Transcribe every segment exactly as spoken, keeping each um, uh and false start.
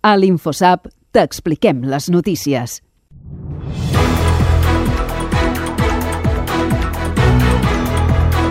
A l'InfoSap t'expliquem les notícies.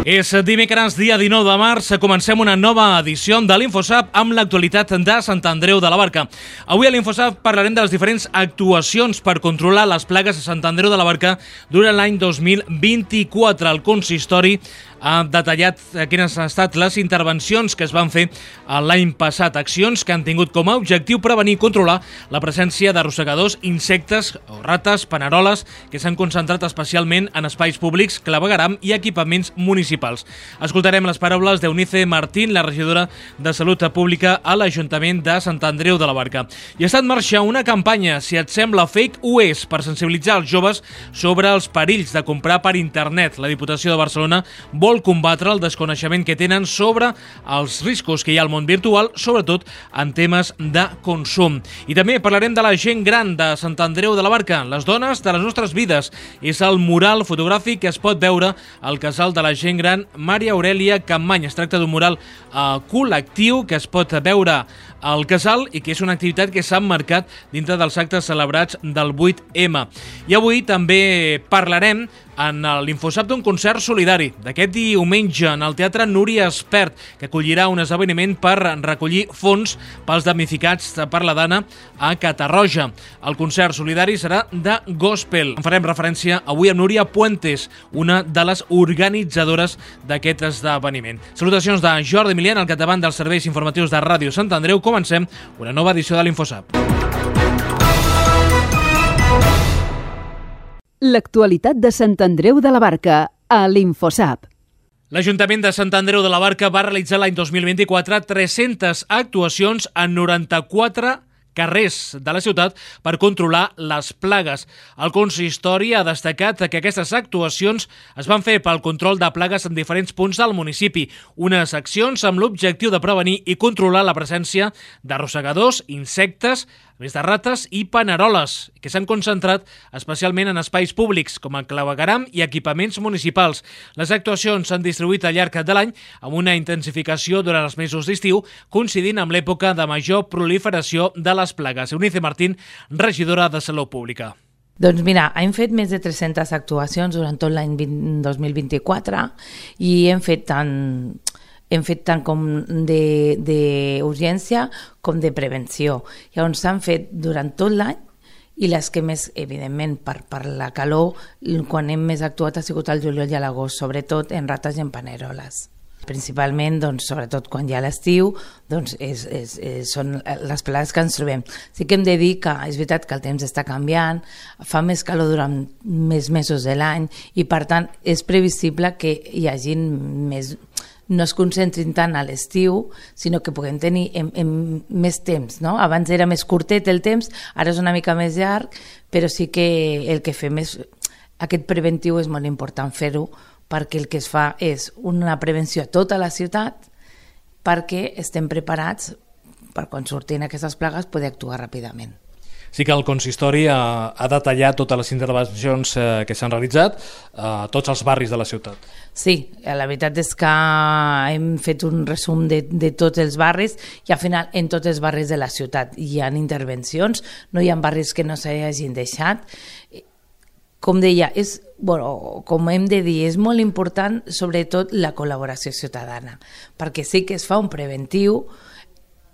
És dimecres, dia dinou de març, comencem una nova edició de l'InfoSap amb l'actualitat de Sant Andreu de la Barca. Avui a l'InfoSap parlarem de les diferents actuacions per controlar les plagues a Sant Andreu de la Barca durant l'any dos mil vint-i-quatre. El consistori ha detallat quines han estat les intervencions que es van fer l'any passat, accions que han tingut com a objectiu prevenir i controlar la presència d'arrossegadors, insectes o rates, paneroles, que s'han concentrat especialment en espais públics, clavegueram i equipaments municipals. Escoltarem les paraules d'Eunice Martín, la regidora de Salut Pública a l'Ajuntament de Sant Andreu de la Barca. I està en marxa una campanya, si et sembla fake, ho és, per sensibilitzar els joves sobre els perills de comprar per internet. La Diputació de Barcelona vol combatre el desconeixement que tenen sobre els riscos que hi ha al món virtual, sobretot en temes de consum. I també parlarem de la gent gran de Sant Andreu de la Barca, les dones de les nostres vides. És el mural fotogràfic que es pot veure al casal de la gent gran Maria Aurelia Campmany. Es tracta d'un mural eh, col·lectiu que es pot veure al casal i que és una activitat que s'ha emmarcat dintre dels actes celebrats del vuit eme. I avui també parlarem en l'InfoSap d'un concert solidari d'aquest diumenge en el Teatre Núria Espert, que acollirà un esdeveniment per recollir fons pels damnificats per la Dana a Catarroja. El concert solidari serà de gospel. En farem referència avui a Núria Puentes, una de les organitzadores d'aquest esdeveniment. Salutacions de Jordi Milian, al capdavant dels serveis informatius de Ràdio Sant Andreu. Comencem una nova edició de l'InfoSap. L'actualitat de Sant Andreu de la Barca a l'InfoSap. L'Ajuntament de Sant Andreu de la Barca va realitzar l'any dos mil vint-i-quatre tres-centes actuacions en noranta-quatre carrers de la ciutat per controlar les plagues. El consistori ha destacat que aquestes actuacions es van fer pel control de plagues en diferents punts del municipi, unes accions amb l'objectiu de prevenir i controlar la presència d'arrossegadors, insectes, més de rates i paneroles, que s'han concentrat especialment en espais públics, com el clavegueram i equipaments municipals. Les actuacions s'han distribuït al llarg de l'any amb una intensificació durant els mesos d'estiu, coincidint amb l'època de major proliferació de les plagues. Eunice Martín, regidora de Salut Pública. Doncs mira, hem fet més de tres-centes actuacions durant tot l'any dos mil vint-i-quatre i hem fet tant... hem fet tant com d'urgència com de prevenció. Llavors s'han fet durant tot l'any i les que més, evidentment, per, per la calor, quan hem més actuat ha sigut el juliol i l'agost, sobretot en rates i en paneroles. Principalment, doncs, sobretot quan hi ha l'estiu, doncs és, és, és, són les plagues que ens trobem. Sí que hem de dir que és veritat que el temps està canviant, fa més calor durant més mesos de l'any i, per tant, és previsible que hi hagi més... no es concentrin tant a l'estiu, sinó que puguem tenir en, en més temps, no? Abans era més curtet el temps, ara és una mica més llarg, però sí que el que fem és... Aquest preventiu és molt important fer-ho, perquè el que es fa és una prevenció a tota la ciutat perquè estem preparats per quan surtin aquestes plagues poder actuar ràpidament. Sí que el consistori ha, ha detallat totes les intervencions eh, que s'han realitzat a tots els barris de la ciutat. Sí, la veritat és que hem fet un resum de, de tots els barris i al final en tots els barris de la ciutat hi ha intervencions, no hi ha barris que no s'hagin deixat. Com deia, és, bueno, com hem de dir, és molt important sobretot la col·laboració ciutadana, perquè sí que es fa un preventiu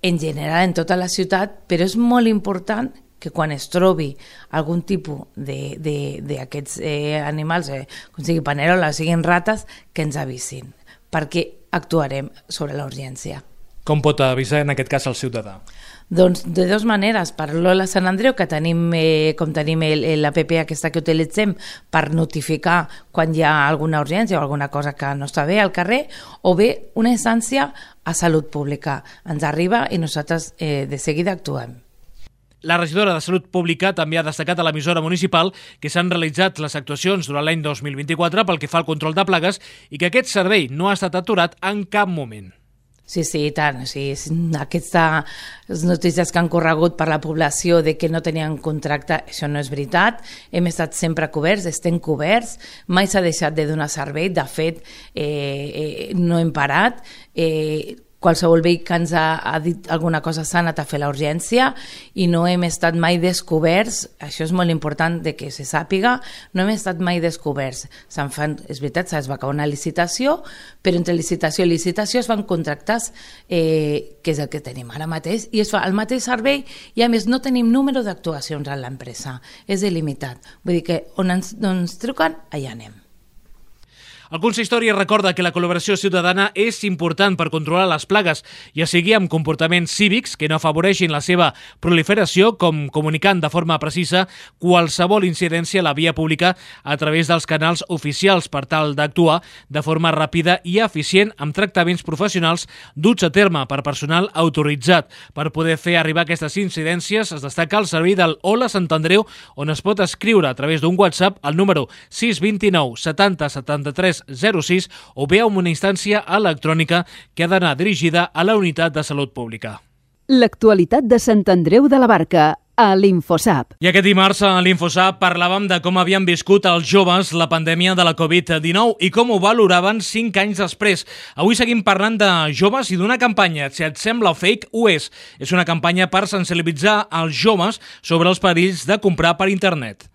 en general en tota la ciutat, però és molt important que quan es trobi algun tipus d'aquests eh, animals, eh, com sigui panerola o siguin rates, que ens avisin, perquè actuarem sobre la urgència. Com pot avisar en aquest cas el ciutadà? Doncs de dues maneres, per l'Hola Sant Andreu, que tenim, eh, com tenim l'app aquesta que utilitzem per notificar quan hi ha alguna urgència o alguna cosa que no està bé al carrer, o bé una instància a Salut Pública. Ens arriba i nosaltres eh, de seguida actuem. La regidora de Salut Pública també ha destacat a l'emissora municipal que s'han realitzat les actuacions durant l'any dos mil vint-i-quatre pel que fa al control de plagues i que aquest servei no ha estat aturat en cap moment. Sí, sí, i tant. O sigui, aquestes notícies que han corregut per la població de que no tenien contracte, això no és veritat. Hem estat sempre coberts, estem coberts, mai s'ha deixat de donar servei. De fet, eh, eh, no hem parat. Eh, qualsevol veí que ens ha, ha dit alguna cosa s'ha anat a fer la urgència i no hem estat mai descoberts, això és molt important de que se sàpiga, no hem estat mai descoberts. Se'n fan, és veritat, es va acabar una licitació, però entre licitació i licitació es fan contractes, eh, que és el que tenim ara mateix, i es fa el mateix servei i a més no tenim número d'actuacions a l'empresa, és il·limitat. Vull dir que on ens, on ens truquen, allà anem. El consistori recorda que la col·laboració ciutadana és important per controlar les plagues, ja sigui amb comportaments cívics que no afavoreixin la seva proliferació, com comunicant de forma precisa qualsevol incidència a la via pública a través dels canals oficials per tal d'actuar de forma ràpida i eficient amb tractaments professionals duts a terme per personal autoritzat. Per poder fer arribar aquestes incidències es destaca el servei del Hola Sant Andreu, on es pot escriure a través d'un WhatsApp al número sis dos nou setanta setanta-tres zero sis o bé amb una instància electrònica que ha d'anar dirigida a la Unitat de Salut Pública. L'actualitat de Sant Andreu de la Barca a l'Infosap. I aquest dimarts a l'Infosap parlàvem de com havien viscut els joves la pandèmia de la covid dinou i com ho valoraven cinc anys després. Avui seguim parlant de joves i d'una campanya, si et sembla fake, ho és. És una campanya per sensibilitzar els joves sobre els perills de comprar per internet.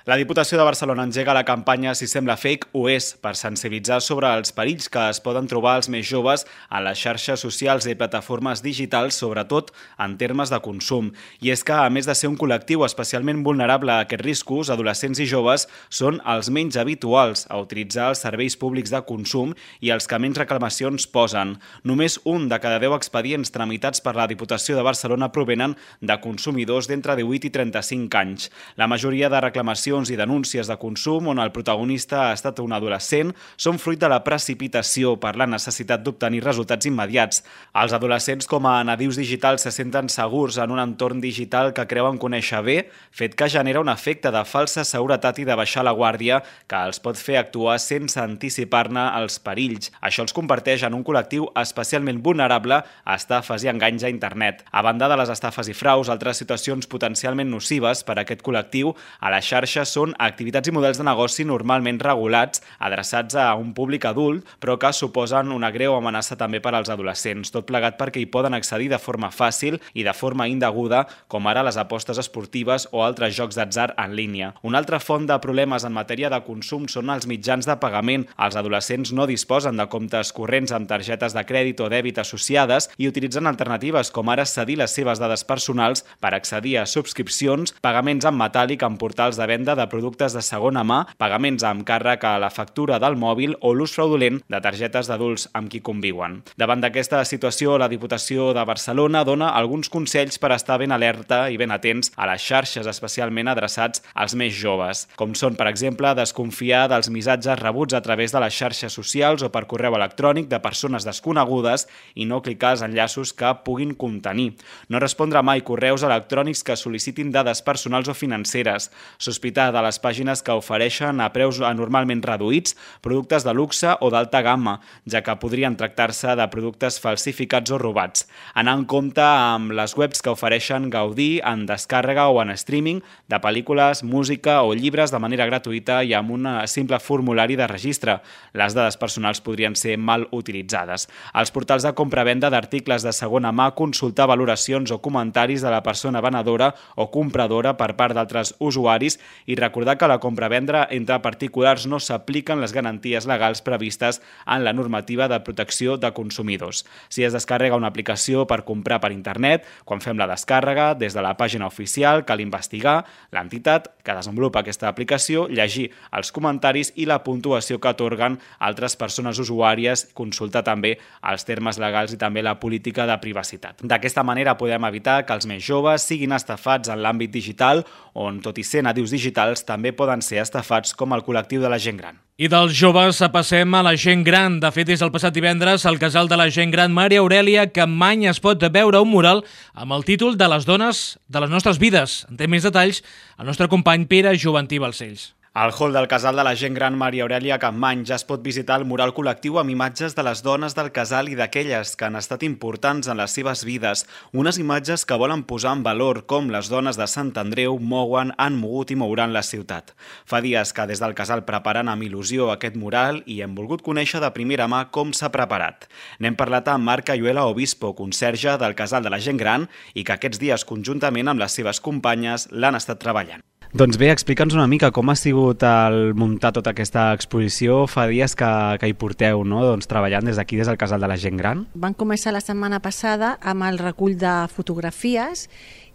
La Diputació de Barcelona engega la campanya Si sembla fake, ho és, per sensibilitzar sobre els perills que es poden trobar els més joves a les xarxes socials i plataformes digitals, sobretot en termes de consum. I és que, a més de ser un col·lectiu especialment vulnerable a aquests riscos, adolescents i joves són els menys habituals a utilitzar els serveis públics de consum i els que menys reclamacions posen. Només un de cada deu expedients tramitats per la Diputació de Barcelona provenen de consumidors d'entre divuit i trenta-cinc anys. La majoria de reclamacions i denúncies de consum on el protagonista ha estat un adolescent són fruit de la precipitació per la necessitat d'obtenir resultats immediats. Els adolescents com a nadius digitals se senten segurs en un entorn digital que creuen conèixer bé, fet que genera un efecte de falsa seguretat i de baixar la guàrdia que els pot fer actuar sense anticipar-ne els perills. Això els converteix en un col·lectiu especialment vulnerable a estafes i enganys a internet. A banda de les estafes i fraus, altres situacions potencialment nocives per a aquest col·lectiu a la xarxa són activitats i models de negoci normalment regulats, adreçats a un públic adult, però que suposen una greu amenaça també per als adolescents, tot plegat perquè hi poden accedir de forma fàcil i de forma indeguda, com ara les apostes esportives o altres jocs d'atzar en línia. Una altra font de problemes en matèria de consum són els mitjans de pagament. Els adolescents no disposen de comptes corrents amb targetes de crèdit o dèbit associades i utilitzen alternatives com ara cedir les seves dades personals per accedir a subscripcions, pagaments en metàl·lic en portals de venda de productes de segona mà, pagaments amb càrrec a la factura del mòbil o l'ús fraudulent de targetes d'adults amb qui conviuen. Davant d'aquesta situació, la Diputació de Barcelona dona alguns consells per estar ben alerta i ben atents a les xarxes, especialment adreçats als més joves, com són, per exemple, desconfiar dels missatges rebuts a través de les xarxes socials o per correu electrònic de persones desconegudes i no clicar els enllaços que puguin contenir. No respondre mai correus electrònics que sol·licitin dades personals o financeres, sospitar de les pàgines que ofereixen a preus anormalment reduïts productes de luxe o d'alta gamma, ja que podrien tractar-se de productes falsificats o robats. Anar en compte amb les webs que ofereixen gaudir en descàrrega o en streaming de pel·lícules, música o llibres de manera gratuïta i amb un simple formulari de registre. Les dades personals podrien ser mal utilitzades. Als portals de compra-venda d'articles de segona mà, consultar valoracions o comentaris de la persona venedora o compradora per part d'altres usuaris i recordar que a la compra-venda entre particulars no s'apliquen les garanties legals previstes en la normativa de protecció de consumidors. Si es descarrega una aplicació per comprar per internet, quan fem la descàrrega, des de la pàgina oficial cal investigar l'entitat que desenvolupa aquesta aplicació, llegir els comentaris i la puntuació que atorguen altres persones usuàries, consultar també els termes legals i també la política de privacitat. D'aquesta manera podem evitar que els més joves siguin estafats en l'àmbit digital, on, tot i ser nadius digitals, també poden ser estafats com el col·lectiu de la gent gran. I dels joves passem a la gent gran. De fet, des del passat divendres, el casal de la gent gran Maria Aurelia Campmany es pot veure un mural amb el títol de les dones de les nostres vides. En té més detalls el nostre company Pere Joventí Balcells. Al hall del casal de la gent gran Maria Aurèlia Campmany ja es pot visitar el mural col·lectiu amb imatges de les dones del casal i d'aquelles que han estat importants en les seves vides. Unes imatges que volen posar en valor com les dones de Sant Andreu mouen, han mogut i mouran la ciutat. Fa dies que des del casal preparen amb il·lusió aquest mural i hem volgut conèixer de primera mà com s'ha preparat. N'hem parlat amb Marc Ayuela Obispo, conserge del casal de la gent gran i que aquests dies conjuntament amb les seves companyes l'han estat treballant. Doncs bé, explica'ns una mica com ha sigut el muntar tota aquesta exposició. Fa dies que, que hi porteu, no? Doncs treballant des d'aquí, des del casal de la gent gran. Van començar la setmana passada amb el recull de fotografies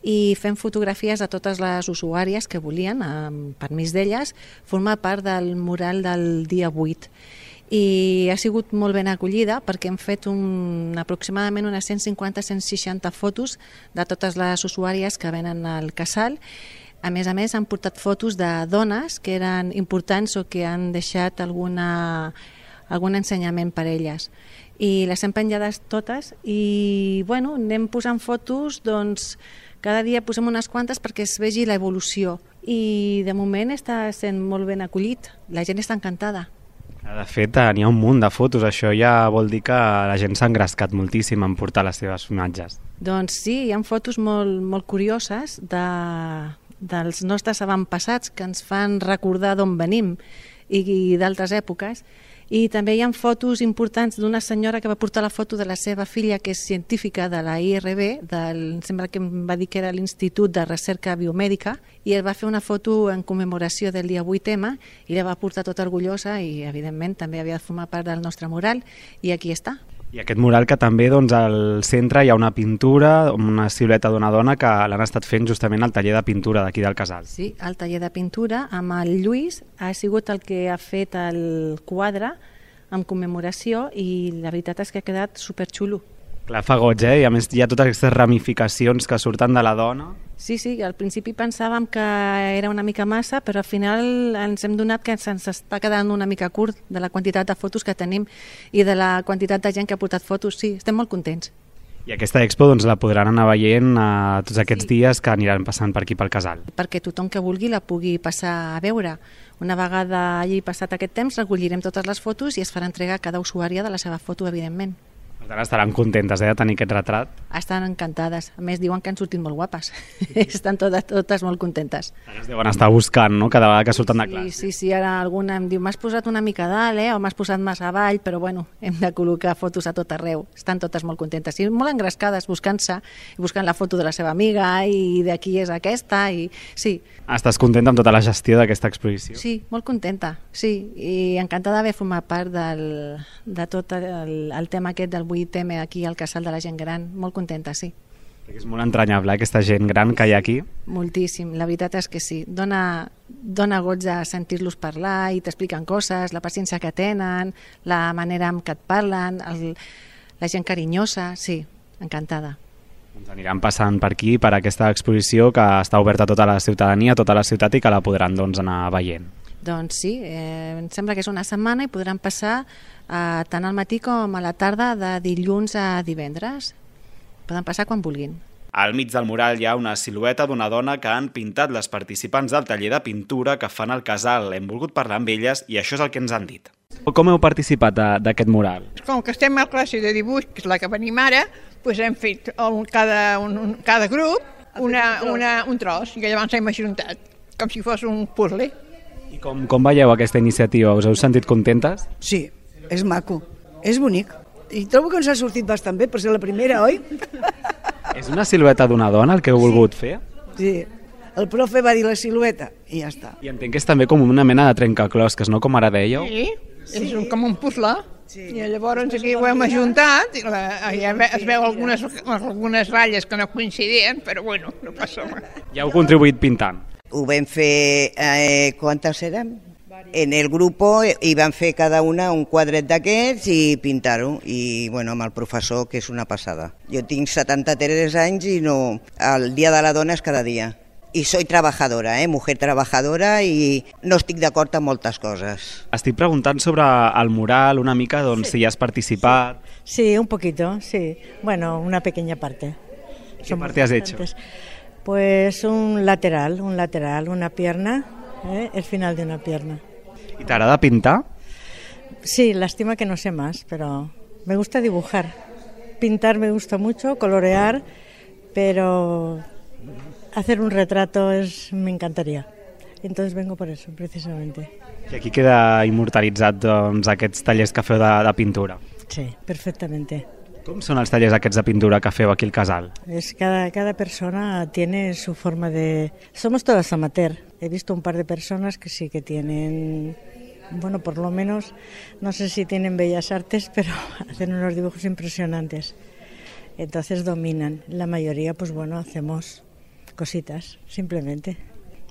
i fem fotografies a totes les usuàries que volien, amb permís d'elles, formar part del mural del dia vuit. I ha sigut molt ben acollida perquè hem fet un, aproximadament unes cent cinquanta a cent seixanta fotos de totes les usuàries que venen al casal. A més a més, han portat fotos de dones que eren importants o que han deixat alguna, algun ensenyament per elles. I les hem penjades totes i bueno, anem posant fotos, doncs cada dia posem unes quantes perquè es vegi l'evolució. I de moment està sent molt ben acollit, la gent està encantada. De fet, n'hi ha un munt de fotos, això ja vol dir que la gent s'ha engrescat moltíssim en portar les seves imatges. Doncs sí, hi ha fotos molt, molt curioses de... dels nostres avantpassats que ens fan recordar d'on venim i, i d'altres èpoques. I també hi ha fotos importants d'una senyora que va portar la foto de la seva filla, que és científica de la I R B, del, sembla que em va dir que era l'Institut de Recerca Biomèdica, i ell va fer una foto en commemoració del dia vuit ema i la va portar tota orgullosa i, evidentment, també havia de formar part del nostre mural, i aquí està. I aquest mural que també doncs, al centre hi ha una pintura, una silueta d'una dona que l'han estat fent justament al taller de pintura d'aquí del casal. Sí, el taller de pintura amb el Lluís ha sigut el que ha fet el quadre en commemoració i la veritat és que ha quedat superxulo. Clar, fa goig, eh? I a més hi ha totes aquestes ramificacions que surten de la dona. Sí, sí, al principi pensàvem que era una mica massa, però al final ens hem donat que se'ns està quedant una mica curt de la quantitat de fotos que tenim i de la quantitat de gent que ha portat fotos. Sí, estem molt contents. I aquesta expo doncs, la podran anar veient a tots aquests sí. dies que aniran passant per aquí pel casal. Perquè tothom que vulgui la pugui passar a veure. Una vegada hagi passat aquest temps, recollirem totes les fotos i es farà entrega a cada usuària de la seva foto, evidentment. Per tant, estaran contentes eh, de tenir aquest retrat. Estan encantades. A més, diuen que han sortit molt guapes. Estan totes, totes molt contentes. Ara es deuen estar buscant, no?, cada vegada que surten de classe. Sí, sí, sí. Ara alguna em diu, m'has posat una mica dalt, eh?, o m'has posat massa avall, però bueno, hem de col·locar fotos a tot arreu. Estan totes molt contentes i molt engrescades, buscant-se, i buscant la foto de la seva amiga i de qui és aquesta, i sí. Estàs contenta amb tota la gestió d'aquesta exposició? Sí, molt contenta, sí, i encantada d'haver format part del, de tot el, el tema aquest del vuit ema aquí al casal de la gent gran, molt contenta, sí. Perquè és molt entranyable aquesta gent gran que hi ha aquí. Moltíssim, la veritat és que sí, dona, dona goig de sentir-los parlar i t'expliquen coses, la paciència que tenen, la manera amb què et parlen, el, la gent carinyosa, sí, encantada. Doncs aniran passant per aquí, per aquesta exposició que està oberta a tota la ciutadania, a tota la ciutat i que la podran doncs, anar veient. Doncs sí, eh, em sembla que és una setmana i podran passar eh, tant al matí com a la tarda de dilluns a divendres. Poden passar quan vulguin. Al mig del mural hi ha una silueta d'una dona que han pintat les participants del taller de pintura que fan al casal. Hem volgut parlar amb elles i això és el que ens han dit. Com heu participat d'aquest mural? Com que estem a classe de dibuix, que és la que venim ara, doncs hem fet un, cada, un, cada grup una, una, un tros i llavors hem ajuntat, com si fos un puzzle. I com, com veieu aquesta iniciativa? Us heu sentit contentes? Sí, és maco, és bonic. I trobo que ens ha sortit bastant bé, per ser la primera, oi? És una silueta d'una dona el que heu volgut sí. fer? Sí, el profe va dir la silueta i ja està. I entenc que és també com una mena de trencaclosques, no? Com ara dèieu? Sí, és sí. com un puzzle. Sí. I llavors aquí ho hem ajuntat, i la, ja es veu algunes, algunes ratlles que no coincidien, però bueno, no passa res. Ja heu contribuït pintant? Ho vam fer, eh, quantes érem? En el grupo i van fer cada una un quadret d'aquests i pintar-ho, i bueno, amb el professor, que és una passada. Jo tinc setanta-tres anys i no, el dia de la dona és cada dia. I soy trabajadora, eh? mujer trabajadora, i no estic d'acord amb moltes coses. Estic preguntant sobre el mural una mica, doncs, sí. si hi has participat. Sí, un poquito, sí. Bueno, una pequeña parte. ¿Qué parte has hecho? Pues un lateral, un lateral, una pierna ¿eh? El final de una pierna. ¿Y t'agrada pintar? Sí, lástima que no sé más, pero me gusta dibujar. Pintar me gusta mucho, colorear, pero hacer un retrato es, me encantaría. Entonces vengo por eso, precisamente. I aquí queda immortalitzat doncs, aquests tallers que feu de, de pintura. Sí, perfectamente. Com són els tallers aquests de pintura que feu aquí al casal? Es cada, cada persona tiene su forma de... Somos todas amateur. He visto un par de personas que sí que tienen... Bueno, por lo menos, no sé si tienen bellas artes, pero hacen unos dibujos impresionantes. Entonces dominan. La mayoría, pues bueno, hacemos cositas, simplemente.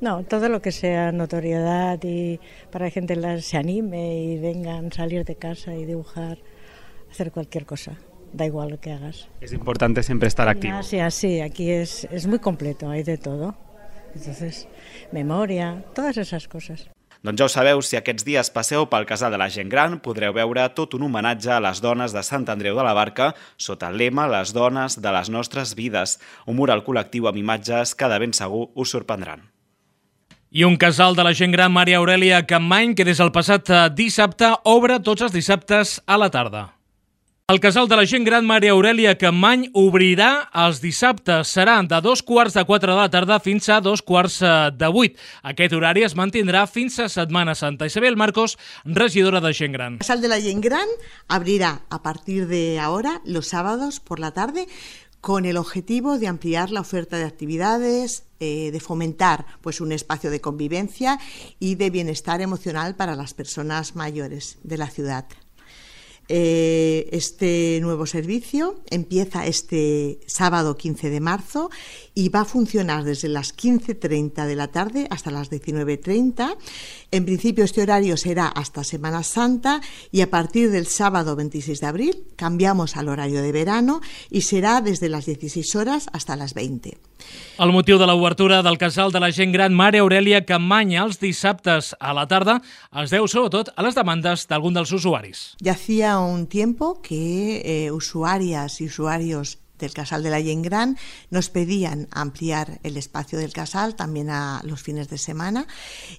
No, todo lo que sea notoriedad y para que la gente se anime y vengan a salir de casa y dibujar, hacer cualquier cosa. Da igual lo que hagas. Es importante siempre estar activo. Ah, sí, así, aquí es, es muy completo, hay de todo. Entonces, memoria, todas esas cosas. Doncs ja ho sabeu, si aquests dies passeu pel Casal de la Gent Gran, podreu veure tot un homenatge a les dones de Sant Andreu de la Barca sota el lema Les dones de les nostres vides, un mural col·lectiu amb imatges que de ben segur us sorprendran. I un casal de la gent gran, Maria Aurèlia Campmany, que des del passat dissabte obre tots els dissabtes a la tarda. El casal de la gent gran Maria Aurèlia Campmany obrirà els dissabtes. Serà de dos quarts de quatre de la tarda fins a dos quarts de vuit. Aquest horari es mantindrà fins a Setmana Santa. Isabel Marcos, regidora de Gent Gran. El casal de la gent gran abrirá a partir de ahora los sábados por la tarde con el objetivo de ampliar la oferta de actividades, eh, de fomentar pues, un espacio de convivencia y de bienestar emocional para las personas mayores de la ciudad. Eh, este nuevo servicio empieza este sábado quince de marzo y va a funcionar desde las quince treinta de la tarde hasta las diecinueve treinta. En principio este horario será hasta Semana Santa y a partir del sábado veintiséis de abril cambiamos al horario de verano y será desde las dieciséis horas hasta las veinte. El motiu de l'obertura del casal de la gent gran Maria Aurèlia Campmany els dissabtes a la tarda es deu sobretot a les demandes d'algun dels usuaris. Ya hacía un tiempo que eh, usuarias y usuarios del Casal de la Gent Gran nos pedían ampliar el espacio del casal también a los fines de semana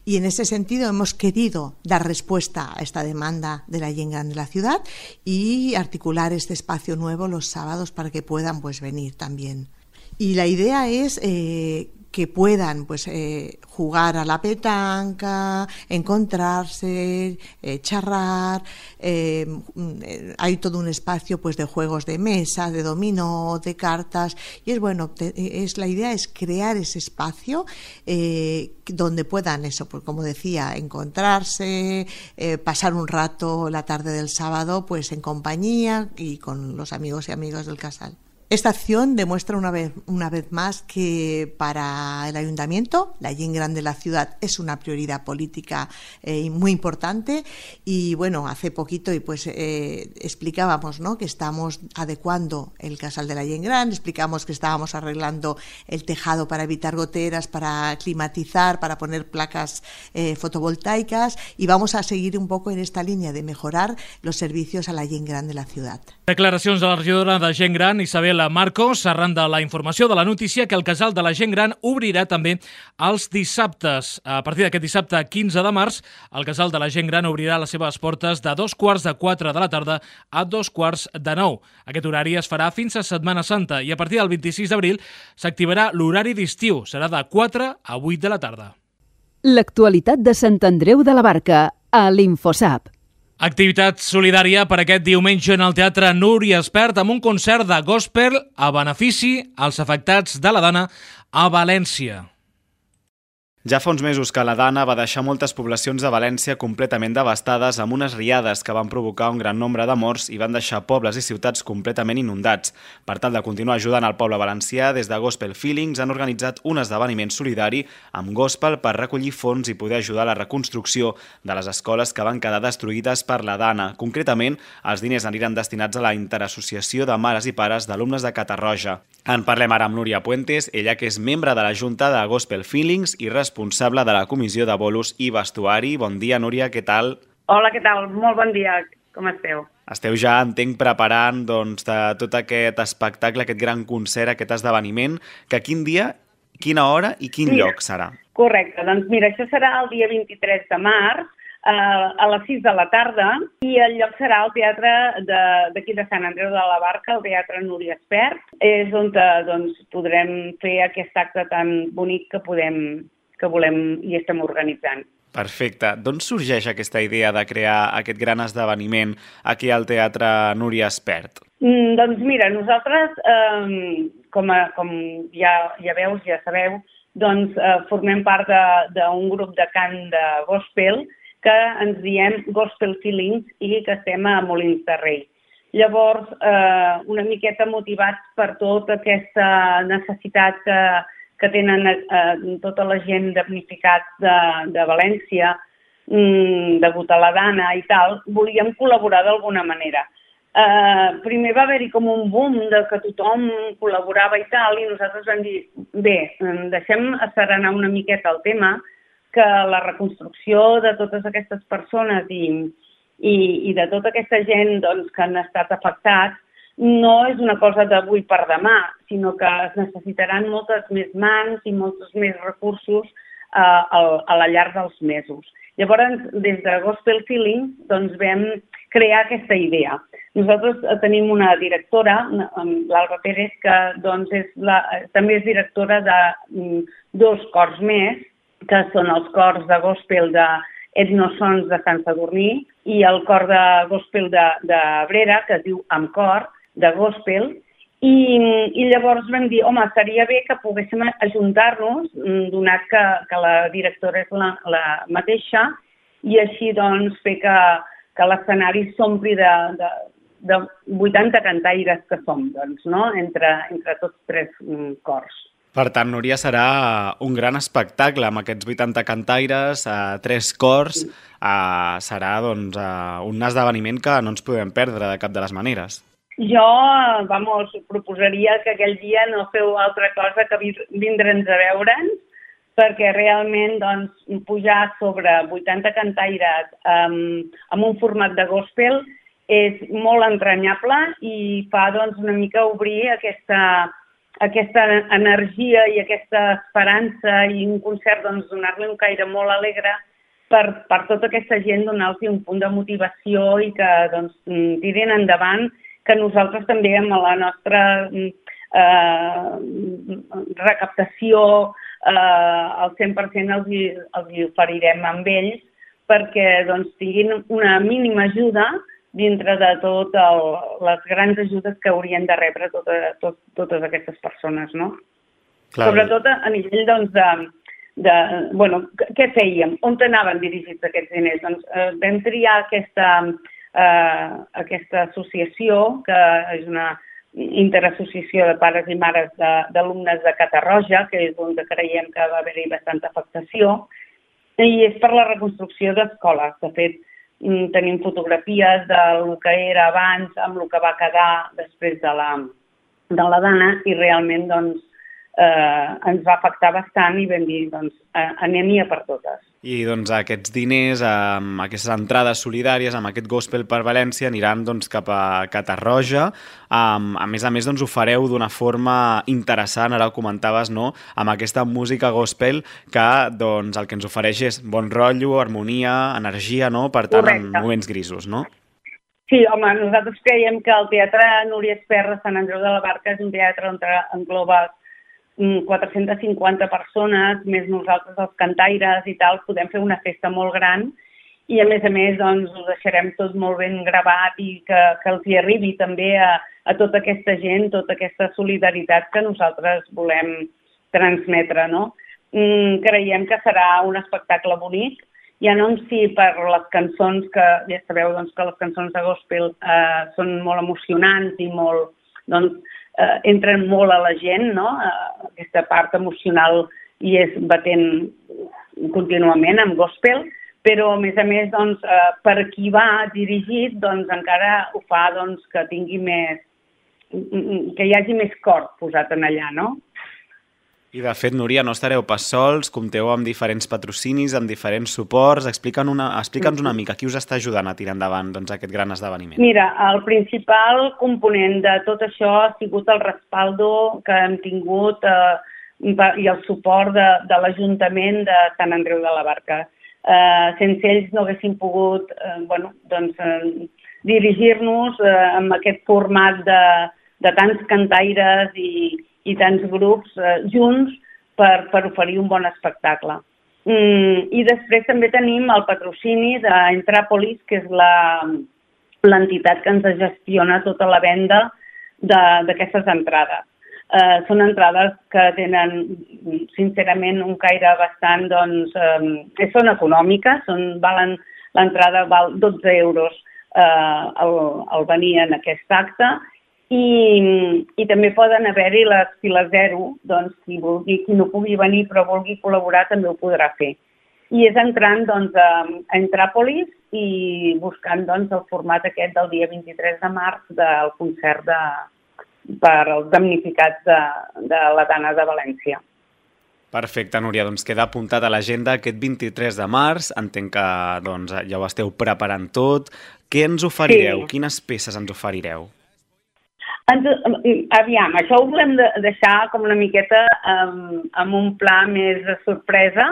y en ese sentido hemos querido dar respuesta a esta demanda de la Gent Gran de la ciudad y articular este espacio nuevo los sábados para que puedan pues venir también. Y la idea es eh, que puedan pues eh, jugar a la petanca, encontrarse, eh, charrar. Eh, hay todo un espacio pues de juegos de mesa, de dominó, de cartas y es bueno, te, es la idea es crear ese espacio eh, donde puedan eso, pues como decía, encontrarse, eh, pasar un rato la tarde del sábado pues en compañía y con los amigos y amigas del casal. Esta acción demuestra una vez, una vez más que para el Ayuntamiento la gent gran de la ciudad es una prioridad política eh, muy importante y bueno, hace poquito y pues eh, explicábamos, ¿no?, que estamos adecuando el casal de la gent gran, explicamos que estábamos arreglando el tejado para evitar goteras, para climatizar, para poner placas eh, fotovoltaicas y vamos a seguir un poco en esta línea de mejorar los servicios a la gent gran de la ciudad. Declaracions de la regidora de Gent Gran, Isabel Marcos, arran de la informació de la notícia que el casal de la gent gran obrirà també els dissabtes. A partir d'aquest dissabte quinze de març, el casal de la gent gran obrirà les seves portes de dos quarts de quatre de la tarda a dos quarts de nou. Aquest horari es farà fins a Setmana Santa i a partir del vint-i-sis d'abril s'activarà l'horari d'estiu. Serà de quatre a vuit de la tarda. L'actualitat de Sant Andreu de la Barca a l'Infosap. Activitat solidària per aquest diumenge en el Teatre Núria Espert amb un concert de gospel a benefici als afectats de la Dana a València. Ja fa uns mesos que la Dana va deixar moltes poblacions de València completament devastades amb unes riades que van provocar un gran nombre de morts i van deixar pobles i ciutats completament inundats. Per tal de continuar ajudant al poble valencià, des de Gospel Feelings han organitzat un esdeveniment solidari amb gospel per recollir fons i poder ajudar a la reconstrucció de les escoles que van quedar destruïdes per la Dana. Concretament, els diners aniran destinats a la Interassociació de Mares i Pares d'Alumnes de Catarroja. En parlem ara amb Núria Puentes, ella que és membre de la Junta de Gospel Feelings i responsable de la Comissió de Bolos i Vestuari. Bon dia, Núria, què tal? Hola, què tal? Molt bon dia. Com esteu? Esteu ja, entenc, preparant doncs, de tot aquest espectacle, aquest gran concert, aquest esdeveniment, que quin dia quina hora i quin Mira, lloc serà? Correcte, doncs mira, això serà el dia vint-i-tres de març, a les sis de la tarda, i el lloc serà el teatre d'aquí de, de Sant Andreu de la Barca, el Teatre Núria Espert. És on doncs, podrem fer aquest acte tan bonic que, podem, que volem i estem organitzant. Perfecte. D'on sorgeix aquesta idea de crear aquest gran esdeveniment aquí al Teatre Núria Espert? Mm, doncs mira, nosaltres, eh, com, a, com ja, ja veus, ja sabeu, doncs eh, formem part d'un grup de cant de gospel que ens diem Gospel Feelings i que estem a Molins de Rei. Llavors, eh, una miqueta motivats per tota aquesta necessitat que, que tenen eh, tota la gent damnificats de, de València, mm, degut a la Dana i tal, volíem col·laborar d'alguna manera. Eh, primer va haver-hi com un boom de que tothom col·laborava i tal, i nosaltres vam dir, bé, deixem asserenar una miqueta el tema, que la reconstrucció de totes aquestes persones i, i, i de tota aquesta gent doncs, que han estat afectats no és una cosa d'avui per demà, sinó que es necessitaran moltes més mans i molts més recursos eh, a, a la llarg dels mesos. Llavors, des de Gospel Feeling, doncs, vam crear aquesta idea. Nosaltres tenim una directora, l'Alba Pérez, que doncs, és la, també és directora de mm, dos cors més, que són els cors de gospel de Etnosons de Sant Sadurní i el cor de gospel de, de Abrera, que es diu Amb Cor, de gospel, i, i llavors vam dir, home, seria bé que poguéssim ajuntar-nos, donat que, que la directora és la, la mateixa, i així doncs fer que, que l'escenari s'ompli de, de, de vuitanta cantaires que som, doncs, no? entre, entre tots tres mm, cors. Per tant, Núria, serà un gran espectacle amb aquests vuitanta cantaires, eh, tres cors, eh, serà doncs, eh, un esdeveniment que no ens podem perdre de cap de les maneres. Jo, vamos, proposaria que aquell dia no feu altra cosa que vindre'ns a veure'ns, perquè realment doncs, pujar sobre vuitanta cantaires um, amb un format de gospel és molt entranyable i fa doncs, una mica obrir aquesta... aquesta energia i aquesta esperança i un concert, doncs, donar-li un caire molt alegre per, per tota aquesta gent, donar-los un punt de motivació i que doncs, tirin endavant, que nosaltres també amb la nostra eh, recaptació eh, al cent per cent els, els oferirem amb ells perquè doncs, tinguin una mínima ajuda dintre de totes les grans ajudes que haurien de rebre tota, tot, totes aquestes persones, no? Clar. Sobretot a nivell, doncs, de, de... Bueno, què fèiem? On anaven dirigits aquests diners? Doncs eh, vam triar aquesta, eh, aquesta associació, que és una interassociació de pares i mares d'alumnes de, de Catarroja, que és on creiem que va haver-hi bastanta afectació, i és per la reconstrucció d'escoles. De fet, tenim fotografies del que era abans amb el que va quedar després de la, de la Dana i realment doncs, eh, ens va afectar bastant i vam dir, doncs, anem-hi a per totes. I doncs aquests diners, amb aquestes entrades solidàries, amb aquest gospel per València, aniran doncs, cap a Catarroja. Um, a més a més, doncs, ho fareu d'una forma interessant, ara ho comentaves, no? Amb aquesta música gospel que doncs, el que ens ofereix és bon rotllo, harmonia, energia, no? Per tant, Correcte. En moments grisos, no? Sí, home, nosaltres creiem que el Teatre Núria Espert de Sant Andreu de la Barca és un teatre on engloba quatre-centes cinquanta persones, més nosaltres els cantaires i tal, podem fer una festa molt gran i a més a més doncs, ho deixarem tot molt ben gravat i que, que els hi arribi també a, a tota aquesta gent, tota aquesta solidaritat que nosaltres volem transmetre, no? Mm, creiem que serà un espectacle bonic, ja no en si per les cançons, que ja sabeu doncs, que les cançons de gospel eh, són molt emocionants i molt, doncs, eh, entren molt a la gent, no? Eh, aquesta part emocional i és batent contínuament amb gospel, però a més a més doncs, eh, per qui va dirigit doncs, encara ho fa doncs, que tingui més, que hi hagi més cor posat en allà, no? I de fet, Núria, no estareu pas sols, compteu amb diferents patrocinis, amb diferents suports. Explica'ns una, explica'ns una mica qui us està ajudant a tirar endavant doncs, aquest gran esdeveniment. Mira, el principal component de tot això ha sigut el respaldo que hem tingut eh, i el suport de, de l'Ajuntament de Sant Andreu de la Barca. Eh, sense ells no haguéssim pogut eh, bueno, doncs, eh, dirigir-nos eh, amb aquest format de, de tants cantaires i, i tants grups eh, junts per, per oferir un bon espectacle. Mm, I després també tenim el patrocini d'Entràpolis, que és la, l'entitat que ens gestiona tota la venda d'aquestes entrades. Uh, són entrades que tenen, sincerament, un caire bastant, doncs, eh, són econòmiques, són, valen, l'entrada val dotze euros eh, al, al venir en aquest acte i, i també poden haver-hi les files zero, doncs, qui vulgui, qui no pugui venir però vulgui col·laborar també ho podrà fer. I és entrant, doncs, a, a Entràpolis i buscant, doncs, el format aquest del dia vint-i-tres de març del concert de per als damnificats de, de la Dana de València. Perfecte, Núria. Doncs queda apuntat a l'agenda aquest vint-i-tres de març. Entenc que doncs, ja ho esteu preparant tot. Què ens oferireu? Sí. Quines peces ens oferireu? Ens, aviam, això ho volem de deixar com una miqueta um, amb un pla més de sorpresa,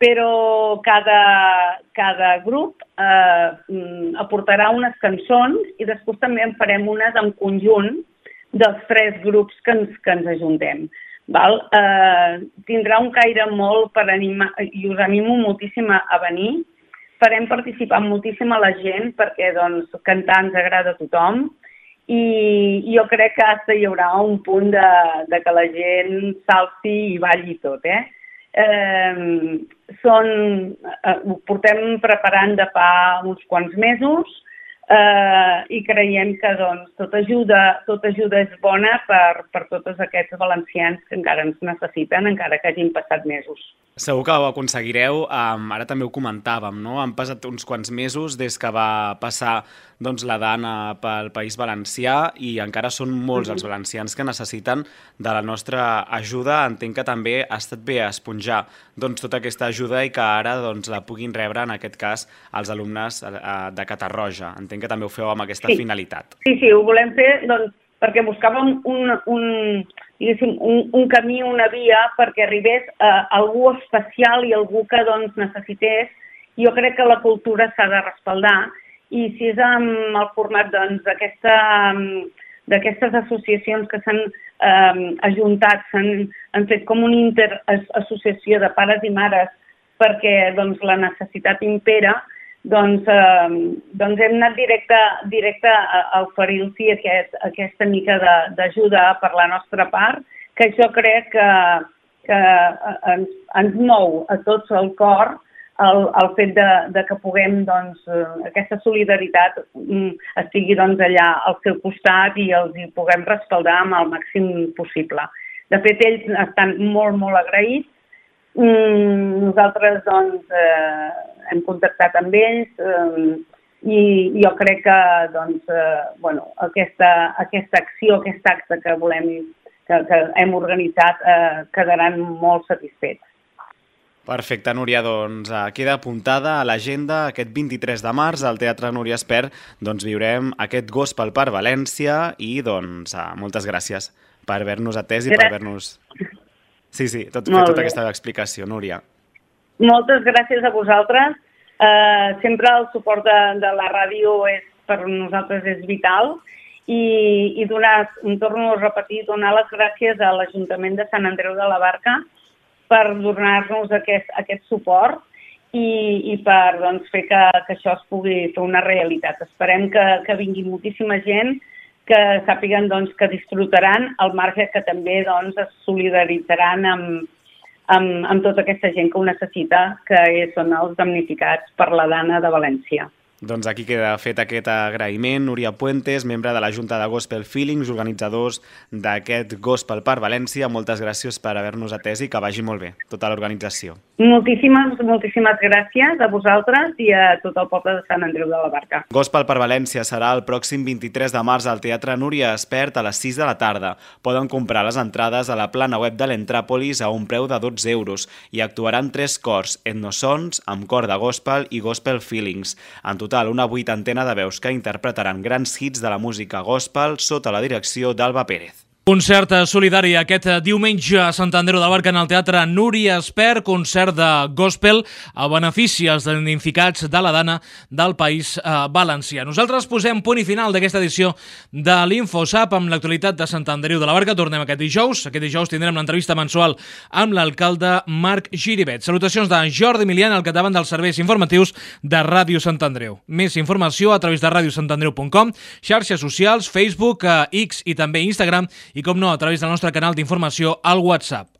però cada, cada grup eh, aportarà unes cançons i després també en farem unes en conjunt dels tres grups que ens, que ens ajuntem. Val? Eh, tindrà un caire molt per animar, i us animo moltíssim a, a venir. Farem participar moltíssim a la gent perquè doncs, cantar ens agrada a tothom i jo crec que hasta hi haurà un punt de, de que la gent salti i balli tot. Eh? Eh, són, eh, ho portem preparant de fa uns quants mesos, Uh, i creiem que doncs, tota, ajuda, tota ajuda és bona per, per tots aquests valencians que encara ens necessiten, encara que hagin passat mesos. Segur que ho aconseguireu. Um, ara també ho comentàvem, no? Han passat uns quants mesos des que va passar doncs, la Dana pel País Valencià i encara són molts els valencians que necessiten de la nostra ajuda. Entenc que també ha estat bé esponjar doncs, tota aquesta ajuda i que ara doncs, la puguin rebre, en aquest cas, els alumnes uh, de Catarroja. Entenc que també ho feu amb aquesta sí. finalitat. Sí, sí, ho volem fer doncs, perquè buscàvem un, un, un, un camí, una via perquè arribés a algú especial i algú que doncs, necessités. Jo crec que la cultura s'ha de respaldar i si és amb el format doncs, d'aquestes associacions que s'han eh, ajuntat, s'han han fet com una interassociació de pares i mares perquè doncs, la necessitat impera, doncs, eh, doncs hem anat directe, directe a, a oferir-los aquest, aquesta mica d'ajuda per la nostra part, que això crec que, que ens, ens mou a tots el cor el, el fet de, de que puguem, doncs, aquesta solidaritat estigui doncs, allà al seu costat i els hi puguem respaldar amb el màxim possible. De fet, ells estan molt, molt agraïts. Nosaltres doncs, eh, hem contactat amb ells eh, i jo crec que doncs, eh, bueno, aquesta, aquesta acció, aquest acte que volem, que, que hem organitzat, eh, quedaran molt satisfets. Perfecte, Núria, doncs queda apuntada a l'agenda aquest vint-i-tres de març al Teatre Núria Espert, doncs viurem aquest Gospel per València i doncs moltes gràcies per haver-nos atès i per haver-nos... Sí, sí, tot, fer tota aquesta explicació, Núria. Moltes gràcies a vosaltres. Uh, sempre el suport de, de la ràdio és, per nosaltres és vital i, i donar, torno a repetir, donar les gràcies a l'Ajuntament de Sant Andreu de la Barca per donar-nos aquest, aquest suport i, i per doncs, fer que, que això es pugui fer una realitat. Esperem que, que vingui moltíssima gent, que sàpiguen doncs, que disfrutaran al marge que també doncs, es solidaritzaran amb, amb, amb tota aquesta gent que ho necessita, que són els damnificats per la Dana de València. Doncs aquí queda fet aquest agraïment. Núria Puentes, membre de la Junta de Gospel Feelings, organitzadors d'aquest Gospel per València. Moltes gràcies per haver-nos atès i que vagi molt bé tota l'organització. Moltíssimes, moltíssimes gràcies a vosaltres i a tot el poble de Sant Andreu de la Barca. Gospel per València serà el pròxim vint-i-tres de març al Teatre Núria Espert a les sis de la tarda. Poden comprar les entrades a la plana web de l'Entràpolis a un preu de dotze euros i actuaran tres cors, etnosons, amb cor de gospel i gospel feelings. En total, una vuitantena de veus que interpretaran grans hits de la música gospel sota la direcció d'Alba Pérez. Concert solidari aquest diumenge a Sant Andreu de la Barca en el Teatre Núria Espert, concert de gospel a benefici dels damnificats de la Dana del País Valencià. Nosaltres posem punt i final d'aquesta edició de l'InfoSap amb l'actualitat de Sant Andreu de la Barca. Tornem aquest dijous. Aquest dijous tindrem l'entrevista mensual amb l'alcalde Marc Giribet. Salutacions de Jordi Milian, al capdavant dels serveis informatius de Ràdio Sant Andreu. Més informació a través de radio sant andreu punt com, xarxes socials, Facebook, X i també Instagram, i com no, a través del nostre canal d'informació al WhatsApp.